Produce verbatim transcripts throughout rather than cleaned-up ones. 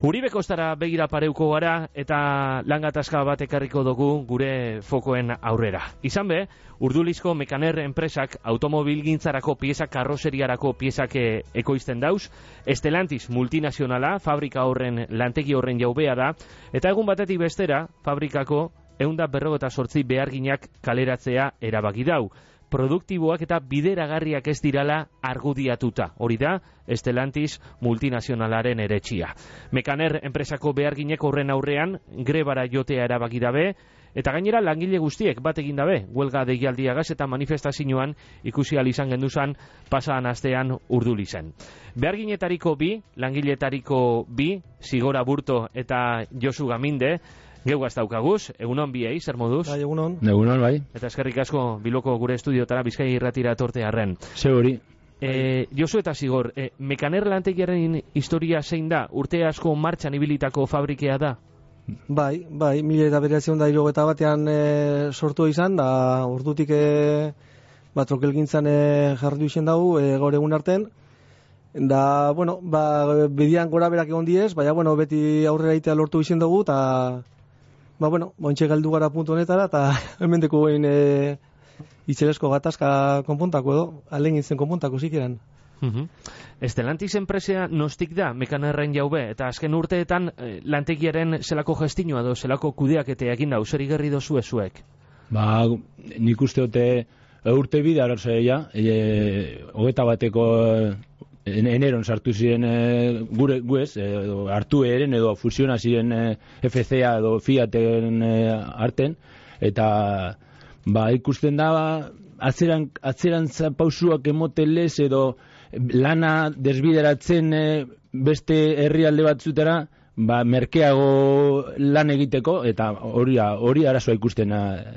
Uribe Kostara begira pareuko gara eta langatazka bat ekarriko dugu gure fokoen aurrera. Izan be, Urdulizko Mekaner enpresak automobilgintzarako piezak karrozeriarako piezak ekoizten dauz, Estelantis multinazionala, fabrika horren lantegi horren jaubea da, eta egun batetik bestera, fabrikako ehun eta berrogeita zortzi beharginak kaleratzea erabaki dau. Produktiboak eta bideragarriak ez dirala argudiatuta. Hori da, Estelantis multinazionalaren eretxia. Mekaner enpresako beharginek horren aurrean grebara jotea erabaki dabe, eta gainera langile guztiek bat egin dabe, huelga deialdiagaz eta manifestazioan ikusi ahal izan genduzan pasaan astean Urdulizen. Beharginetariko bi, langiletariko bi, Zigor Aburto eta Josu Gaminde, Geugaz daukaguz, egunon biei, zer moduz? Bai, egunon. Egunon, bai. Eta eskerrik asko Bilboko gure estudiotara Bizkaia irratira tortearren. Seguri. E, Josu eta Zigor, e, Mekaner lantegiaren historia zein da? Urte asko martxan ibilitako fabrikea da? Bai, bai, mila eta bederatziehun eta hirurogeita batean e, sortu izan, da ordutik e, ba, trokelgintzan e, jarri izen dugu, e, gaur egun arten. Da, bueno, ba, bidian gora berak egon diez, baina, bueno, beti aurrera itea lortu izen dugu, eta ba, bueno, bontxe galdu gara puntu honetara, eta hemen deko behin e, itzelesko gatazka konpuntako edo, alen gintzen konpuntako zikeran. Uh-huh. Estelantis enpresea nostik da, Mekanerren jaube, eta azken urteetan eh, lantegiaren zelako gestinua edo zelako kudeaketea egin dau, zer igerri dozu ezuek? Ba, nik uste dute urte bide ararzaia, e, hogeta bateko en, eneron sartu ziren e, gure guez, e, hartu eren edo fusiona ziren e, F C A edo Fiaten e, arten, eta ba, ikusten da ba, atzeran, atzeran pausuak emotelez edo lana desbideratzen e, beste herrialde batzutera, ba, merkeago lan egiteko, eta hori hori arazoa ikusten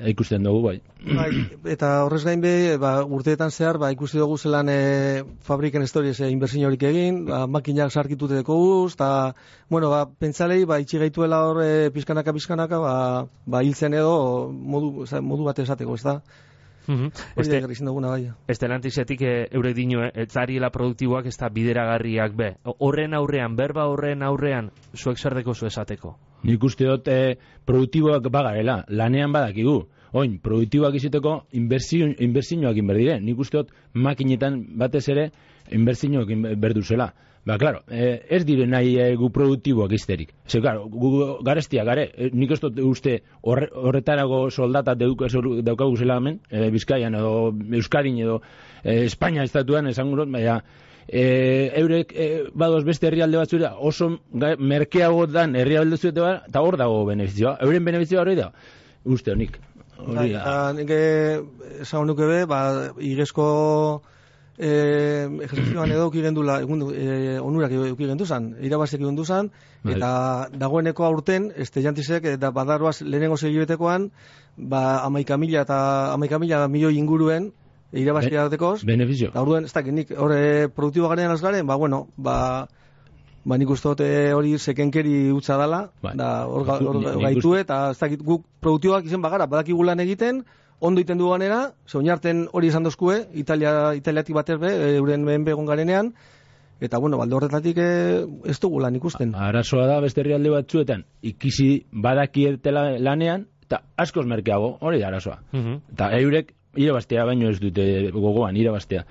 ikusten dugu, bai. Bai, eta horrez gain be, ba, urteetan zehar, ba, ikusi dugu zelan e, fabriken historiez e, inbertsio horik egin, ba, makinak sarkitute deko guz, eta, bueno, ba, pentsalei, ba, itxi gaituela hor e, pizkanaka, pizkanaka, ba, ba, hiltzen edo modu, modu bat esateko, ez da? Uh-huh. Este, bai. Estelantisetik e, eurek dino, e, zariela produktiboak ez da bideragarriak be. Horren aurrean, berba horren aurrean, zuek zer deko zu esateko? Nik uste dut e, produktiboak bagarela, lanean badakigu. Oin, produktiboak izateko inbertsioak inberdire. Nik uste dut makinetan batez ere inbertsioak inberduzela. Ba, klaro, eh, ez dire nahi eh, gu produktiboak izterik. Zer, klaro, gu garestia gare, eh, nik ez dut uste horre, horretarago soldata daukagu zela hemen, eh, Bizkaian edo Euskadin edo eh, Espainia estatuan esan gurot, baina eh, eurek eh, badoz beste herrialde batzura oso ga, merkeago dan herrialde zuete bat, eta hor dago benefizioa. Euren benefizioa hori da, uste honik. Bai, eta nik esan nuke be, ba, igezko Eh, ejerzioan edo ukigendula eh, onurak ukigenduzan, irabazek ukigenduzan, eta dagoeneko aurten Estelantisek eta badaroaz lehenengo segibetekoan, ba, amaika mila eta amaika mila milioi inguruen irabazkia datekoz. Benefizio. Da orduen, ez dakit, nik hori produktibo garen azgaren, ba, bueno, ba, ba nik uste dute hori sekenkeri utza dala, bai. Da hor gaitu eta ez dakit, guk produktiboak izen bagara, badakigu lan egiten, ondo iten du ganera, soinarten hori esan dozkue, Italia, italiatik batez be, euren mehen begon garenean, eta, bueno, balde horretatik e, ez dugu lan ikusten. Arazoa da, beste herrialde batzuetan, ikisi badakietela lanean, eta askoz merkeago, hori da arazoa. Uh-huh. Eta eurek, irabaztea baino ez dute gogoan, irabaztea.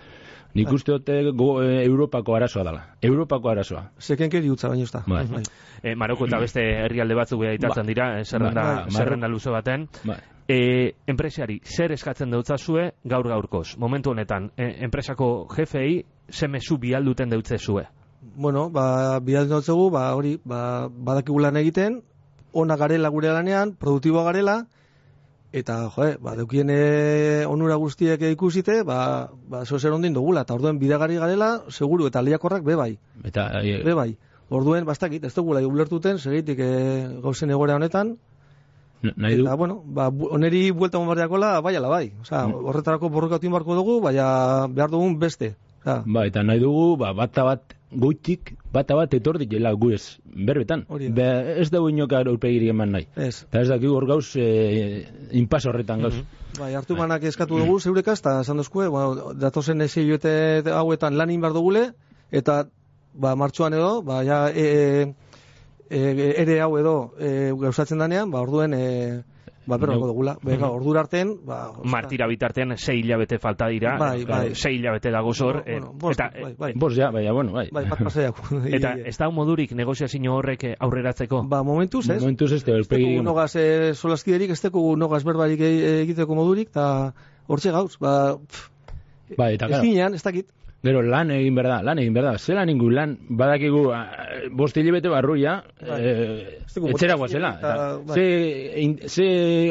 Nik uste dute go, e, Europako arazoa dela. Europako arazoa. Sekenkeri utza baino ez da. Bai. Bai. E, Maroko eta beste herrialde batzuk beha itatzen dira, e, zerrenda, bai. Zerrenda luze baten. Bai. E, enpresari, zer eskatzen dautzazue gaur gaurkoz? Momentu honetan, e, enpresako jefei ze mezu bialduten dautzezue? Bueno, ba, bialduten dautzegu, ba, hori, ba, badakigu lan egiten, ona garela gure lanean, produktiboa garela, eta, joe, ba, deukien e, onura guztiek ikusite, ba, ba, zo zer ondin dugula, eta orduen bidagarri garela, seguru, eta lehiakorrak bebai. Eta, e... bebai. Orduen, bastakit, ez dugula ulertuten, segitik e, gauzen egoera honetan, nahi du. Eta, bueno, ba, oneri buelta bombardeakola, bai ala bai. Osa, mm. horretarako borrokatu inbarko dugu, baina behar dugun beste. Osa. Ba, eta nahi dugu, ba, bata bat goitik, bata bat etordik jela guez, berbetan. Be, ez dugu inoka aurpegiri eman nahi. Ez. Eta ez dakigu hor gauz, e, inpas horretan gauz. Mm-hmm. Bai, hartu manak eskatu dugu, zeurekaz, eta esan dozkue, bueno, datozen eseioete hauetan lan inbar dugule, eta, ba, martxuan edo, ba, ja, e, e, ere hau edo e, gauzatzen danean, ba, orduen e, ba, berroko dugula. Bega, ordura arten, ba... Martira bitartean sei hilabete falta dira, bai, bai. sei hilabete dago zor, bueno, bueno, bost, eta... bai, bai. Bost ja, baina, bueno, bai. Bai, bat pasaiak. Eta ez da modurik negoziazio horrek aurreratzeko? Ba, momentuz, ez? Momentuz ez, ez teko nogaz e, solaskiderik, ez teko nogaz berbarik egiteko modurik, eta hortxe gauz, ba... Pff, bai, eta, ez ginean, ez dakit. Gero lan egin behar da, lan egin behar da. Zelan ingu lan badakigu bost hilabete barruia, bai. e, etxera guazela. Bai. Ze, ze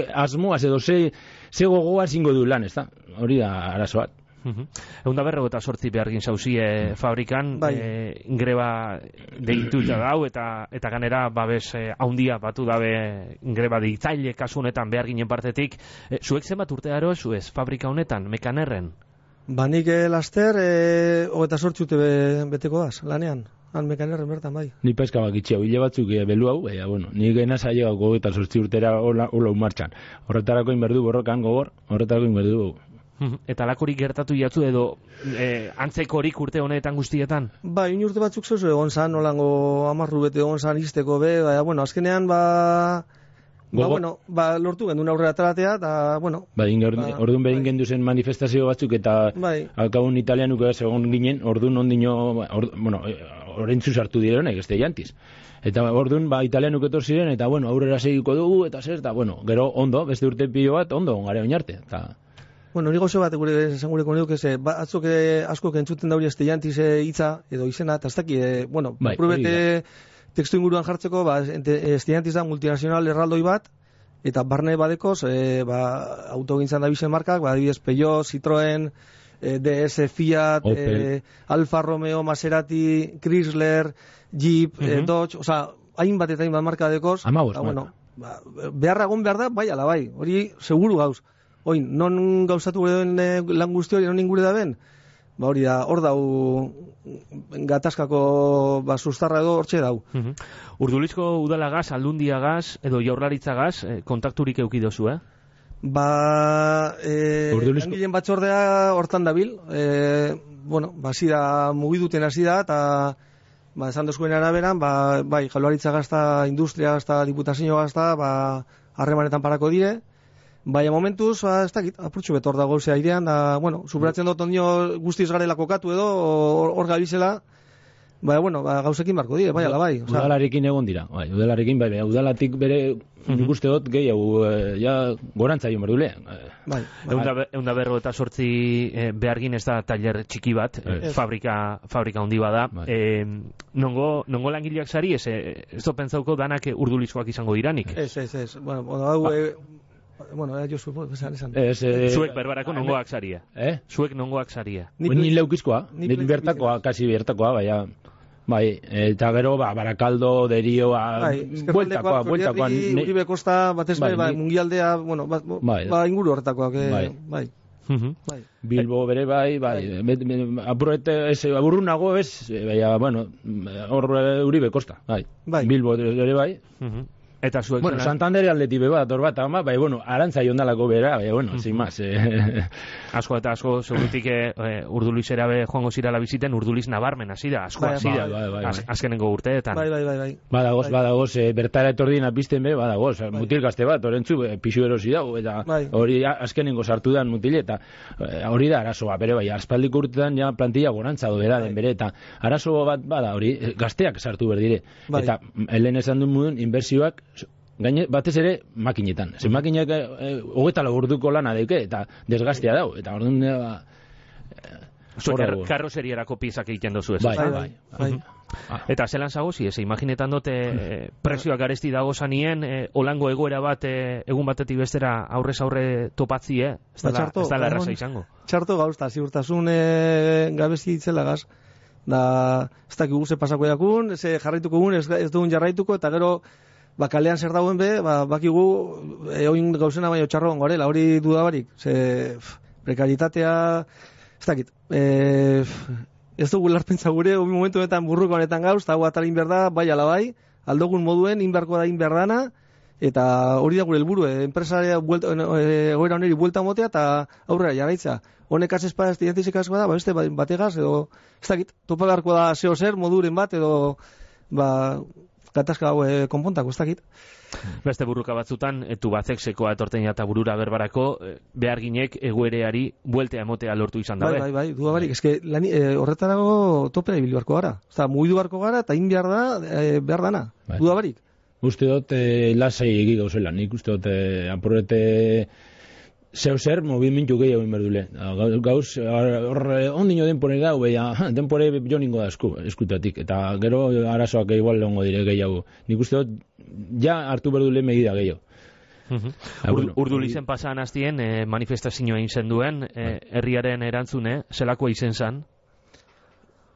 asmoaz edo, ze, ze gogoa zingo du lan, ez da? Hori da arazo bat. Egun da berrego eta sortzi behargin zauzie fabrikan, bai. e, greba deituta dau, eta eta ganera babes e, haundia batu dabe greba deitzaile kasu honetan beharginen partetik. E, zuek zenbat urte aro zuez fabrika honetan, Mekanerren? Ba, nik eh, laster, eh, hogeta sortxute be, beteko az, lanean. Han Mekanerren bertan, bai. Ni peska bakitxea, hile batzuk e, belu hau, baina, bueno, nik enaz ailegau hogeta sortzi urtera hola martxan. Horretarako inberdu borrokan gogor, horretarako inberdu. Eta lakorik gertatu jatzu edo e, antzekorik urte honetan guztietan? Ba, in urte batzuk zeuzu egon zan, nolango amarru bete egon zan izteko be, baina, bueno, azkenean, ba... Ba, bueno, ba, lortu gendun aurrera ataratea, eta, bueno... Ba, ba, orduan behin bai. Gendu zen manifestazio batzuk, eta bai. Alkabun italianuko ez egon ginen, orduan ondino, or, bueno, orentzu sartu direnek, ez da jantiz. Eta orduan, ba, italianuko etor ziren, eta, bueno, aurrera segiko dugu, eta zer, eta, bueno, gero, ondo, beste urte pilo bat, ondo, ongare oinarte, eta... Bueno, hori gozo bat, gure, esan gureko nire, que ba, atzok asko kentzuten dauri ez da jantiz hitza, edo izena, eta ez daki, e, bueno, bai, probete... Tekstu inguruan jartzeko, ba, estudiantiz da multinazional erraldoi bat, eta barne badekoz, e, ba, autogintzan da bizen markak, ba, adibidez Peugeot, Citroën, e, D S, Fiat, e, Alfa Romeo, Maserati, Chrysler, Jeep, uh-huh. e, Dodge, oza, hainbat eta hainbat marka badekoz. Amabos, ba, bueno, ba, beharra egon behar da, bai, ala bai, hori seguru gauz. Oin, non gauzatu gure den e, lan guzti hori, non ingure da ben? Ba hori da, hor dau gatazkako ba, sustarra edo hortxe dau. Uh-huh. Urdulizko udalagaz, aldundiagaz edo jaurlaritzagaz eh, kontakturik eukidozu, eh? Ba, eh, Urdulizko... langileen batzordea hortan dabil, eh, bueno, ba, zida mugiduten hasi da, eta ba, esan dozkuen araberan, ba, bai, jaurlaritzagaz eta industriagaz eta diputazioagaz eta ba, harremanetan parako dire. Baina momentuz, ba, ez dakit, apurtxu betor dago zea airean, da, bueno, subratzen dut ondio guztiz garela kokatu edo, hor gabizela, baina, bueno, ba, gauzekin barko dire, bai, ala bai. Oza... Udalarekin egon dira, bai, udalarekin, bai, bai, udalatik bere, nik uste dut, gehiago, e, ja, gorantza jo merdule. Bai, bai. Eunda berro eta sortzi e, behargin ez da taller txiki bat, e, fabrika, fabrika handi bada. Bai. E, nongo, nongo langileak zari, ez, ez do pentsauko danak urdulizkoak izango diranik? Ez, ez, ez, bueno, hau... Ba. E, Bueno, eh, jo supo, esan, esan. Es, eh, Zuek berbarako nongoak zaria. Eh? Zuek nongoak zaria. Ni leukizkoa, ni bertakoa, kasi bertakoa, baina... Bai, eta gero, ba, Barakaldo, Derio, bai, bueltakoa, bueltakoa... Uribe Kosta, batez bai, bai, mungialdea, bueno, ba, bai, ba inguru horretakoak, eh, bai. bai. Uh-huh. Bai. Bilbo bere bai, bai, bai. Apurrete, aburrunago ez, baina, bueno, hor Uribe Kosta, bai. bai. Bilbo bere bai. Uh-huh. Eta zuek... Bueno, Santander aldeti beba, ator bat, ama, bai, bueno, arantza jondalako bera, bai, bueno, sin más. Eh. Asko eta asko, segurutik eh, Urdulizera be joango zirala biziten, Urduliz nabarmen hasi da, asko hasi da, bai, bai, bai, az, azkenengo urteetan. Bai, bai, bai, bai. Badagoz, bai. badagoz, eh, bertara etordien apizten be, badagoz, bai. Mutil gazte bat, orentzu, eh, pixu erosi dago, eta bai. Hori azkenengo sartu dan mutile, eta eh, hori da arazoa, bere, bai, aspaldiko urtetan ja plantilla gorantza do bera den bere, eta arazo bat bada, hori, gazteak sartu berdire, bai. Eta helen esan duen mudun, inbertsioak, gaine, batez ere, makinetan. Zer makinak hogeta e, orduko lana deuke, eta desgastea dau. Eta orduan... E, Zuek karrozerierako piezak egiten dozu ez. Bai, bai, bai. bai. Ah. Eta zelan zagozi, ez, imaginetan dute e, presioak garesti dago zanien, e, olango egoera bat e, egun batetik bestera aurrez aurre topatzi, eh? Ez da, ez da larraza izango. Txarto gauz, eta ziurtasun e, gabezi ditzela gaz. Da, ez dakik guze pasako jakun, ez jarraituko gun, ez, ez dugun jarraituko, eta gero... Ba, kalean zer dagoen be, ba, bakigu eoin gauzena baino txarro gongarela, hori dudabarik. Ze, pff, prekaritatea, ez dakit, e, ez dugu larpentza gure, obi momentu honetan burruko honetan gauz, eta hau atalin behar da, bai ala bai, aldogun moduen, inberko da inberdana, eta hori da gure helburu, eh, enpresarea egoera honeri buelta motea, eta aurrera jarraitza. Honek azespa ez dientizik asko da, ba, beste bategaz, edo, ez dakit, topa beharko da zeo zer, moduren bat, edo, ba... gatazka hau e, konpontako, ez dakit. Beste burruka batzutan, etu batzek sekoa etorten eta burura berbarako, behar ginek egoereari bueltea emotea lortu izan dabe. Bai, bai, bai, duda barik. Eske, lan, e, horretarago topera ibil beharko gara. Osta, mugidu beharko gara eta in behar da, e, behar dana. Bai. Duda barik. Uste dut, e, lasai egi gauzela. Nik uste dut, e, apurrete zeu zer, movimentu gehiago inberdule. Gauz, hor, ondino denpore da, beha, denpore jo ningo da esku, eskutatik. Eta gero arazoak igual leongo dire gehiago. Nik uste dut, ja hartu berdule megida gehiago. Uh-huh. Ur, Urdu lizen pasan hastien eh, manifestazioa inzen duen, eh, herriaren erantzune, zelakoa izen zan?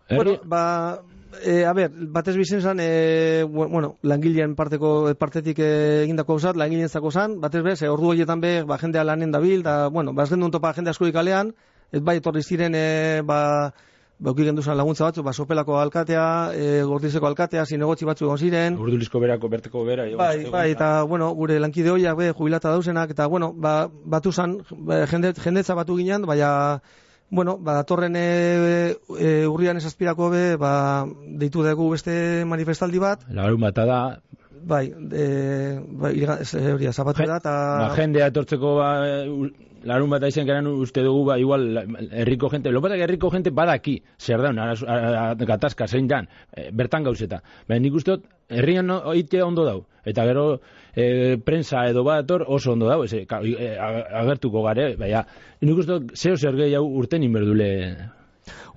Bueno, ba, e, a ber, batez bizen zan, e, bueno, langileen parteko, partetik egindako zat, langileen zako zan, batez bez, e, ordu horietan be, ba, jendea lanen dabil, da, bueno, ba, ez gendun topa jende asko ikalean, ez bai, etorri ziren, e, ba, ba, uki genduzan laguntza batzu, ba, Sopelako alkatea, e, Gordizeko alkatea, zinegotzi batzu egon ziren. Urdulizko berako, berteko bera. Jo, bai, bai, eta, bueno, gure lankide hoiak, be, jubilata dauzenak, eta, bueno, ba, batu zan, ba, jende, jendetza batu ginen, baina, bueno, ba, datorren e, e, urrian esazpirako be, ba, deitu dugu beste manifestaldi bat. Larun bata da. Bai, e, ba, iriga, e, hori, zapatu da, eta... Ba, jendea etortzeko, ba, larun bat aizen geran uste dugu, ba, igual, herriko gente, lopatak herriko gente badaki, zer daun, gatazka, zein dan, e, bertan gauzeta. Baina nik uste dut, herrian no, oitea ondo dau, eta gero e, prensa edo bat oso ondo dau, eze, ka, e, agertuko gare, baina nik uste dut, zeo zer gehiago urten inberdule...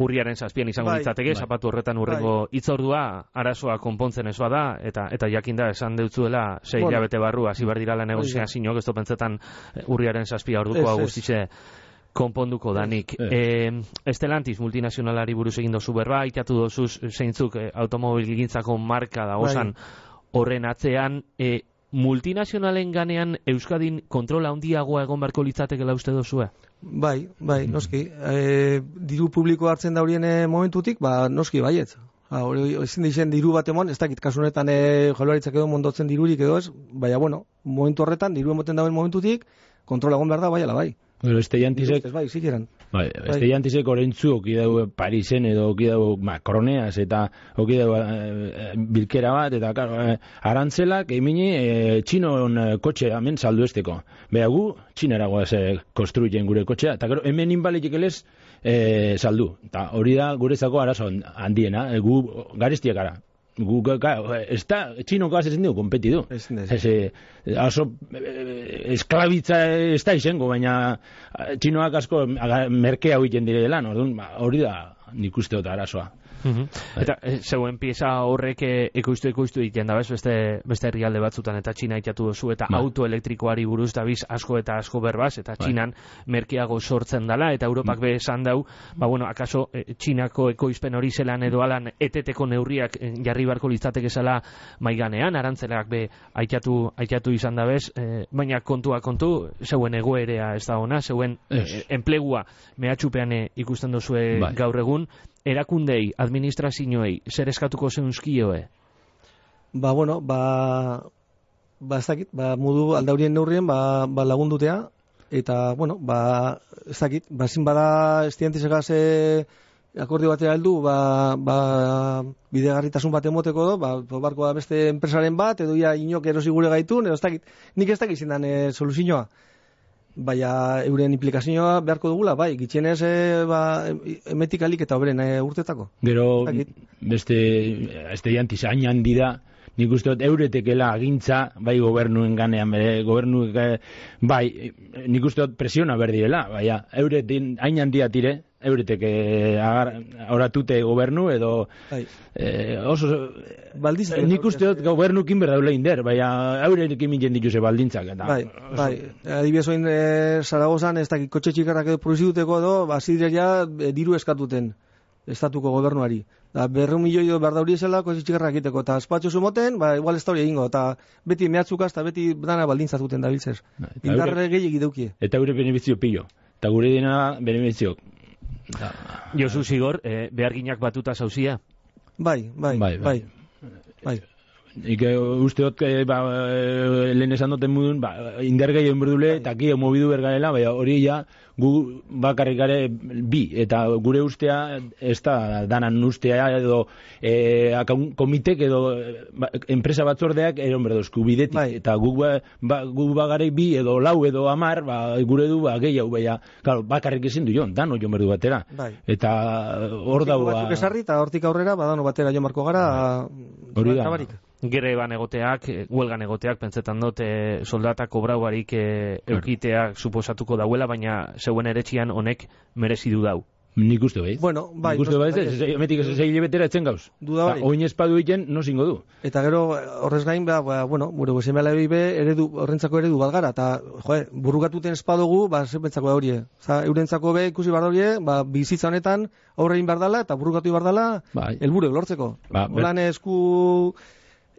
Urriaren zazpian izango bai, litzateke, bai. zapatu horretan urrengo bai. Itzordua, arazoa konpontzen ezoa da, eta eta jakinda esan deutzuela sei bueno. hilabete barru, hasi behar dirala negoziazioak, ez pentsetan urriaren zazpia orduko guztize konponduko danik. E, Estelantis multinazionalari buruz egin dozu berba, itatu dozuz zeintzuk e, automobilgintzako marka da osan horren atzean, e, multinazionalen ganean Euskadin kontrola handiagoa egon beharko litzatekela uste dozue? Bai, bai, noski. E, diru publiko hartzen da horien momentutik, ba, noski, baietz. Ha, hori, ezin dizen diru bat emon, ez dakit, kasu honetan e, jaularitzak edo mondotzen dirurik edo ez, baina, bueno, momentu horretan, diru emoten dauen momentutik, kontrola egon behar da, bai, ala, bai. Bueno, este jantisek... Ez bai, zikiran. Bai, este jantisek orentzu oki dau Parisen edo oki dau Macroneaz eta oki dau e, bilkera bat, eta karo, e, arantzelak emini e, txinon e, kotxe hemen saldu esteko. Beha gu, txineragoaz e, konstruyen gure kotxea, eta gero hemen inbaletik elez e, saldu. Eta hori da gurezako arazo handiena, e, gu garestiak gara. Gu, ez da, txinoko azezen dugu, kompeti du. Ez, oso, esklabitza ez da izango, baina txinoak asko merkea huiten dire delan, hori da nik uste dut arazoa. Uh-huh. Eta e, zeuen pieza horrek ekoiztu ekoiztu egiten da, bez, beste, beste herrialde batzutan, eta Txina itatu dozu, eta ba. Auto elektrikoari buruz da biz asko eta asko berbaz, eta ba. Txinan merkeago sortzen dala, eta Europak be esan dau, ba bueno, akaso e, Txinako ekoizpen hori zelan edo alan eteteko neurriak e, jarri barko litzateke zela maiganean, arantzelak be aitatu, aitatu izan da bez, e, baina kontua kontu, zeuen egoerea ez da ona, zeuen e, enplegua mehatxupean e, ikusten dozue bai. Gaur egun, erakundei, administrazioei, zer eskatuko zeunskioe? Ba, bueno, ba, ba ez dakit, ba, modu aldaurien neurrien, ba, ba lagundutea, eta, bueno, ba, ez dakit, ba, zin bada estiantisegaz akordio batera heldu, ba, ba, bidegarritasun bat emoteko do, ba, barko da beste enpresaren bat, edo ia inok erosi gure gaitun, edo ez dakit, nik ez dakit zindan e, soluzioa. Baina euren implikazioa beharko dugula, bai, gitxienez e, ba, emetik alik eta oberen e, urtetako. Gero, beste, este jantiz, hain handi da, nik uste dut euretekela agintza, bai gobernuen ganean, bere, gobernu, bai, nik uste dut presiona berdirela, baina euretin hain handia tire, euretek horatute gobernu edo eh, oso Baldiz, nik uste dut gobernukin berdaule inder, baina eurekin minen dituse baldintzak eta, bai, bai, adibidez oin e, Zaragozan ez dakit kotxe txikarrak edo produzituteko edo bazideria e, diru eskatuten estatuko gobernuari da, berreun milioi edo behar dauri esela kotxe txikarrak egiteko eta espatxo zumoten, ba, igual ez da hori egingo eta beti mehatzukaz eta beti dana baldintzatuten da biltzez indarre gehiagik deukie eta eure benefizio pillo eta gure dena benefizio Da. Josu Zigor, eh, beharginak batuta zauzia? Bai, bai, bai, bai. bai. Ike usteot, ba, lehen esan duten mudun, ba, indergei egin berdule, eta ki mobidu bergarela, bai, hori ja, gu bakarrik gare bi, eta gure ustea, ez da danan ustea, edo e, komitek, edo ba, enpresa batzordeak, eron berdozku bidetik, bai. Eta gu, ba, gu bagarei bi, edo lau, edo amar, ba, gure du, ba, gehiago, baina, claro, bakarrik ezin du jon, dano jon berdu batera, bai. Eta hor dago, ba... esarri, eta hortik aurrera, badano batera jon marko gara, hori da. Greban egoteak, huelgan egoteak, pentsetan dut, e, soldata kobrau barik e, eukiteak suposatuko dauela, baina zeuen eretxian honek merezi du dau. Nik uste baiz. Bueno, bai. Nik uste baiz, emetik ez egile betera etzen gauz. Duda barik. Oin espadu egiten, no zingo du. Eta gero, horrez gain, ba, ba, bueno, gure gozemela be eredu, horrentzako eredu bat gara, eta, joe, burrukatuten espadugu, ba, zenpentzako da horie. Oza, eurentzako be, ikusi bar horie, ba, bizitza honetan, aurrein bardala, eta burrukatu bardala, bai. Elburu lortzeko. Ba, holan esku...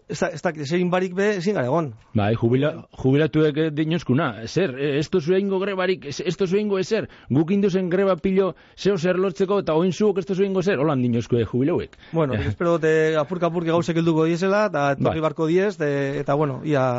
Ez da, ez da, zein barik be, ezin gara egon. Bai, jubila, jubilatuek dinozkuna, zer, esto zuen ingo grebarik, esto zuen ingo ezer, guk induzen greba pilo zeo zer lortzeko, eta oin zuok esto zuen ingo ezer, holan dinozko jubilauek. Bueno, eh. espero de apurka-apurki gauzek helduko diezela, eta torri barko diez, de, eta bueno, ia...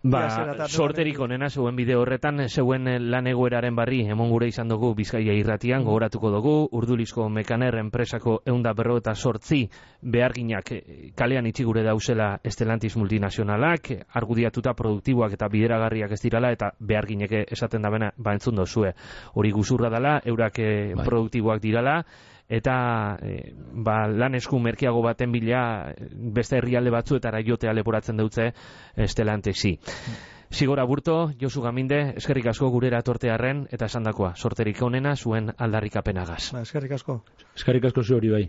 Ba, sorterik onena zeuen bideo horretan, zeuen lan egoeraren barri, emon gure izan dugu Bizkaia irratian, gogoratuko dugu, Urdulizko Mekaner enpresako eunda berro eta sortzi beharginak kalean itxi gure dauzela Estelantis multinazionalak, argudiatuta produktiboak eta bideragarriak ez dirala, eta beharginek esaten da bena, ba entzun dozue. Hori guzurra dela, eurak bai. Produktiboak dirala, eta e, ba, lan esku merkeago baten bila beste herrialde batzuetara jotea leporatzen dutze Estelantesi. Zigora Burto, Josu Gaminde, eskerrik asko gurera tortearren, eta esandakoa, sorterik onena zuen aldarrikapenagaz. Ba, eskerrik asko. Eskerrik asko zu hori bai.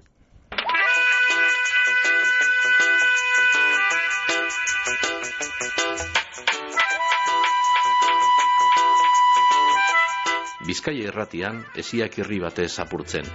Bizkaia irratian, esiak irri batez apurtzen.